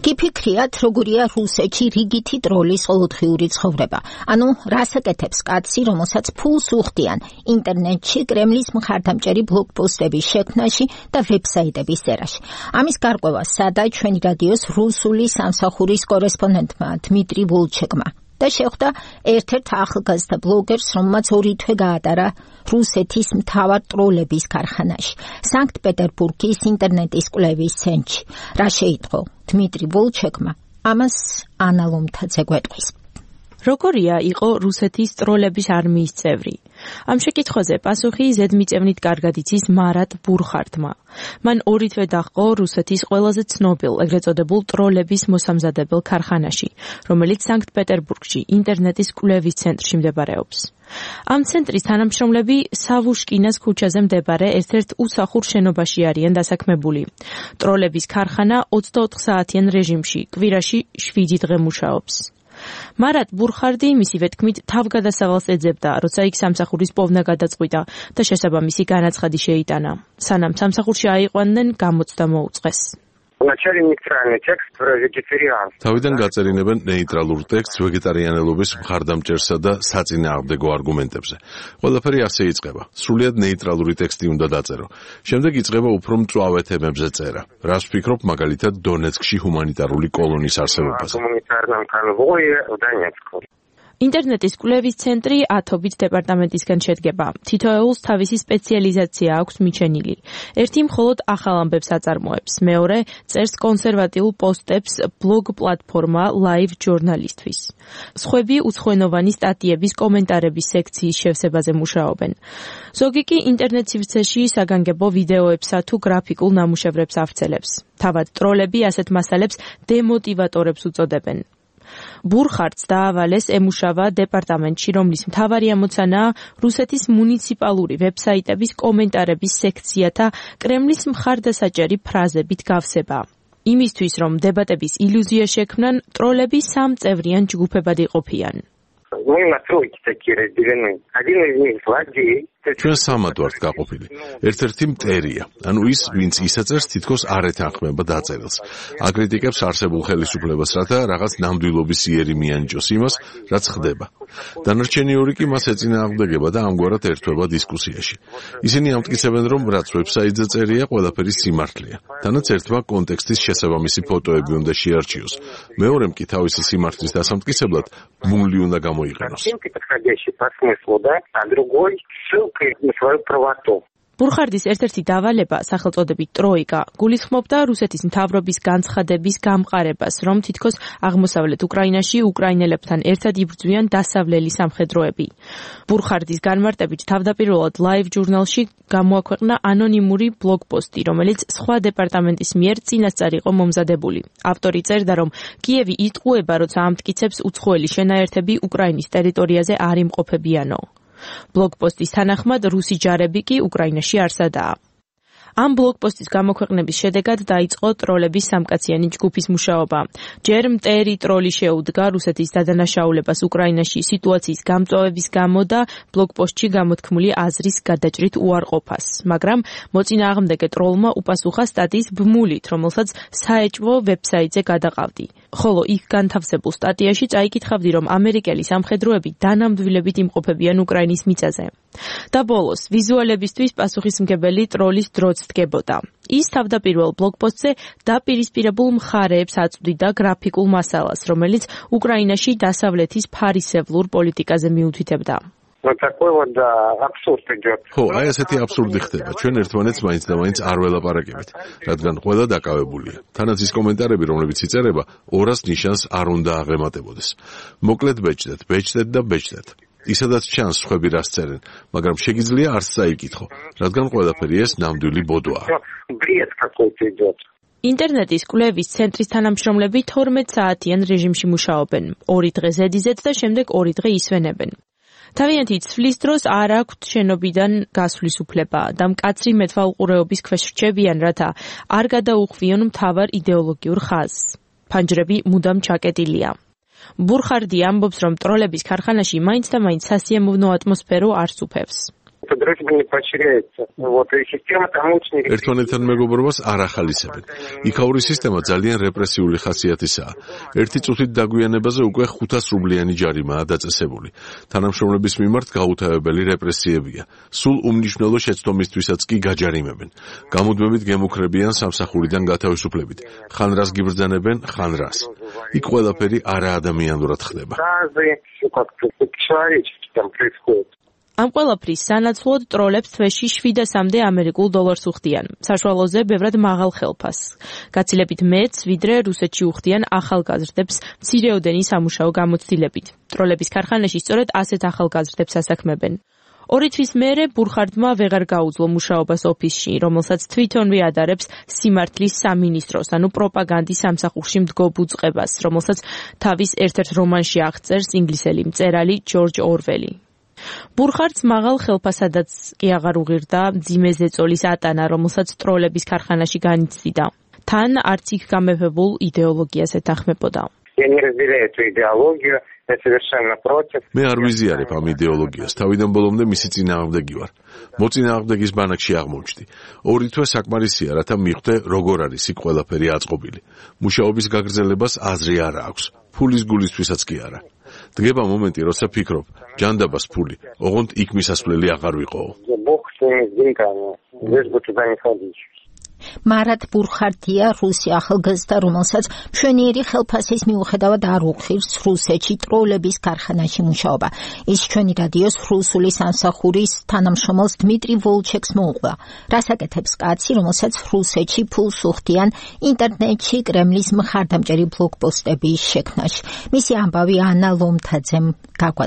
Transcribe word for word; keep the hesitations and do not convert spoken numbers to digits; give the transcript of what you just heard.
გიფიქრიათ, როგორია რუსეთში რიგითი ტროლის ყოველდღიური ცხოვრება. ანუ რას აკეთებს კაცი, რომელსაც ფულს უხდიან ინტერნეტში, კრემლის მხარდამჭერი ბლოგპოსტების შექმნაში და ვებსაიტების წერაში. ამის გარკვევა სადა ჩვენი რადიოს რუსული სამსახურის კორესპონდენტმა დმიტრი ვოლჩეკმა და შეხვდა ერთ-ერთ ახალგაზრდა ბლოგერს, რომელმაც ორი თვე გაატარა რუსეთის მთავარ ტროლების ქარხანაში, სანქტ-პეტერბურგის ინტერნეტის კვლევის ცენტრში. რა შეიტყო დმიტრი ვოლჩეკმა, ამას ანა ლომთაძე გვეტყვის. როგორია იყო რუსეთის ტროლების არმიის წევრი? ამ შეკითხვაზე პასუხი ზედმიწევნით კარგად იცის მარატ ბურხარტმა. მან ორი თვე დაჰყო რუსეთის ყველაზე ცნობილ, ეგრეთ წოდებულ ტროლების მოსამზადებელ ქარხანაში, რომელიც სანქტ-პეტერბურგში ინტერნეტის კვლევის ცენტრში მდებარეობს. ამ ცენტრის თანამშრომლები სავუშკინას ქუჩაზე მდებარე ერთ-ერთ უსახურ შენობაში არიან დასაქმებული. ტროლების ქარხანა ოცდაოთხ საათიან რეჟიმში, კვირაში შვიდი დღე მუშაობს. მარატ ბურხარდი მისივე თქმით თავგადასავალს ეძებდა, როცა იქ სამსახურის პოვნა გადაწყვიტა და შესაბამისი განაცხადი შეიტანა. სანამ სამსახურში აიყვანდნენ, გამოცდა მოუწყეს. თავიდან გაწერინებენ ნეიტრალურ ტექსტს ვეგეტარიანელობის მხარდამჭერსა და საწინააღმდეგო არგუმენტებზე. ყველაფერი ასე იწყება. სრულიად ნეიტრალური ტექსტი უნდა დაწერო. შემდეგ იწყება უფრო მწვავე თემებზე წერა. რას ვფიქრობ მაგალითად დონეცკში ჰუმანიტარული კოლონის არსებობაზე. ინტერნეტის კვლევის ცენტრი ათობით დეპარტამენტისგან შედგება. თითოეულს თავისი სპეციალიზაცია აქვს მიჩენილი. ერთი მხოლოდ ახალ ამბებს აწარმოებს, მეორე წერს კონსერვატიულ პოსტებს ბლოგ პლატფორმა Live Journalistvis. სხვები უცხოენოვანი სტატიების კომენტარების სექციის შევსებაზე მუშაობენ. ზოგი კი ინტერნეტ სივრცეში საგანგებო ვიდეოებსა თუ გრაფიკულ ნამუშევრებს ავრცელებს. თავად ტროლები ასეთ მასალებს დემოტივატორებს უწოდებენ. ბურხარტს დაავალეს ემუშავა დეპარტამენტში, რომლის მთავარი ამოცანაა რუსეთის მუნიციპალური ვებსაიტების კომენტარების სექციათა კრემლის მხარდასაჭერი ფრაზებით გავსება. იმისთვის, რომ დებატების ილუზია შექმნან, ტროლები სამწევრიან ჯგუფებად იყოფიან. ჩვენ სამად ვართ გაყოფილი. ერთ-ერთი მტერია, ანუ ის, ვინც ისაწერს თითქოს არ ეთანხმება დაწერილს. აკრიტიკებს არსებულ ხელისუფლებას, რათა რაღაც ნამდვილობის იერი მიანიჭოს იმას, რაც ხდება. დანარჩენი ორი კი მას ეწინააღმდეგება და ამგვარად ერთვება დისკუსიაში. ისინი ამტკიცებენ, რომ რაც ვებსაიტზე წერია, ყველაფერი სიმართლეა. თანაც ერთმა კონტექსტის შესაბამისი ფოტოები უნდა შეარჩიოს. მეორემ კი თავისი სიმართლის დასამტკიცებლად მული უნდა გამოიყენოს. ბურხარდის ერთ-ერთი დავალება, სახელწოდებით ტროიკა, გულისხმობდა რუსეთის მთავრობის განცხადების გამყარებას, რომ თითქოს აღმოსავლეთ უკრაინაში უკრაინელებთან ერთად იბრძვიან დასავლელი სამხედროები. ბურხარდის განმარტებით თავდაპირველად Live Journal-ში გამოაქვეყნა ანონიმური ბლოგპოსტი, რომელიც სხვა დეპარტამენტის მიერ წინასწარ იყო მომზადებული. ავტორი წერდა, რომ კიევი იტყუება, როცა ამტკიცებს უცხოელი შენაერთები უკრაინის ტერიტორიაზე არ იმყოფებიანო. ბლოგპოსტის თანახმად რუსი ჯარები კი უკრაინაში არ სადაა. ამ ბლოგპოსტის გამოქვეყნების შედეგად დაიწყო ტროლების სამკაციანი ჯგუფის მუშაობა. ჯერ მტერი ტროლი შეუდგა რუსეთის დადანაშაულებას უკრაინაში სიტუაციის გამწვავების გამო და ბლოგპოსტში გამოთქმული აზრის გადაჭრით უარყოფას, მაგრამ მოწინააღმდეგე ტროლმა უპასუხა სტატიის ბმულით, რომელსაც საეჭვო ვებსაიტზე გადაყავდი. ხოლო იქ განთავსებულ სტატიაში წაიკითხავდი, რომ ამერიკელი სამხედროები დანამდვილებით იმყოფებიან უკრაინის მიწაზე. და ბოლოს, ვიზუალებისთვის პასუხისმგებელი ტროლის დროც დგებოდა. ის თავდაპირველ ბლოგპოსტზე დაპირისპირებულ მხარეებს აწვდიდა გრაფიკულ მასალას, რომელიც უკრაინაში დასავლეთის ფარისევლურ პოლიტიკაზე მიუთითებდა. ხო, აი ესეთი აბსურდი ხდება. ჩვენ ერთმანეთს მაინც და მაინც არ ველაპარაკებით, რადგან ყველა დაკავებულია. თანაც ის კომენტარები, რომლებიც იწერება, ორას ნიშანს არ უნდა აღემატებოდეს. მოკლედ ბეჭდეთ, ბეჭდეთ და ბეჭდეთ. ისედაც ჩანს სხვები რას წერენ, მაგრამ შეგიძლია არც წაიკითხო, რადგან ყველაფერი ეს ნამდვილი ბოდოა. ინტერნეტის კვლევის ცენტრის თანამშრომლები თორმეტ საათიან რეჟიმში მუშაობენ. ორი დღე ზედიზედ და შემდეგ ორი დღე ისვენებენ. თავიანთი ცვლის დროს არ აქვთ შენობიდან გასვლის უფლება და მკაცრი მეთვალყურეობის ქვეშ რჩებიან, რათა არ გადაუხვიონ მთავარ იდეოლოგიურ ხაზს. ფანჯრები მუდამ ჩაკეტილია. ბურხარდი ამბობს, რომ ტროლების ქარხანაში მაინც და მაინც სასიამოვნო ატმოსფერო არ სუფევს. ერთმანეთთან მეგობრობას არ ახალისებენ. იქაური სისტემა ძალიან რეპრესიული ხასიათისაა. ერთი წუთით დაგვიანებაზე უკვე ხუთას რუბლიანი ჯარიმაა დაწესებული. თანამშრომლების მიმართ გაუთავებელი რეპრესიებია. სულ უმნიშვნელო შეცდომისთვისაც კი გაჯარიმებენ. გამუდმებით გემუქრებიან სამსახურიდან გათავისუფლებით. ხან რას გიბრძანებენ, ხან რას. იქ ყველაფერი არაადამიანურად ხდება. ამ ყველაფრის სანაცვლოდ ტროლებს თვეში შვიდასამდე ამერიკულ დოლარს უხდიან. საშუალოზე ბევრად მაღალ ხელფასს. გაცილებით მეც, ვიდრე რუსეთში უხდიან ახალგაზრდებს მცირეოდენი სამუშაო გამოცდილებით. ტროლების ქარხანაში სწორედ ასეთ ახალგაზრდებს ასაქმებენ. ორი თვის მერე ბურხარდმა ვეღარ გაუძლო მუშაობას ოფისში, რომელსაც თვითონვე ადარებს სიმართლის სამინისტროს, ანუ პროპაგანდის სამსახურში მდგომ უწყებას, რომელსაც თავის ერთ-ერთ რომანში აღწერს ინგლისელი მწერალი ჯორჯ ორველი. ბურხარდს მაღალ ხელფასადაც კი აღარ უღირდა მძიმე ზეწოლის ატანა, რომელსაც ტროლების ქარხანაში განიცდიდა. თან არც იქ გამეფებულ იდეოლოგიას ეთანხმებოდა. მე არ ვიზიარებ ამ იდეოლოგიას, თავიდან ბოლომდე მისი წინააღმდეგი ვარ. მოწინააღმდეგის ბანაკში აღმოჩნდი. ორი თვე საკმარისია, რათა მიხვდე, როგორ არის იქ ყველაფერი აწყობილი. მუშაობის გაგრძელებას აზრი არ აქვს. ფულის გულისთვისაც კი არა. დგება მომენტი, როცა ფიქრობ, ჯანდაბას ფული, ოღონდ იქ მისასვლელი აღარ ვიყო. მარად ბურხარდია რუსი ახალგაზრდა, რომელსაც მშვენიერი ხელფასის მიუხედავად არ უხირს რუსეთში ტროლების ქარხანაში მუშაობა. ის ჩვენი რადიოს რუსული სამსახურის თანამშრომელს დმიტრი ვოლჩეკს მოუყვება. რას აკეთებს კაცი, რომელსაც რუსეთში ფულს უხდიან ინტერნეტში კრემლის მხარდამჭერი ბლოგპოსტების შექმნაში. მისი ამბავი ანა ლომთაძემ გაგვაწევდა.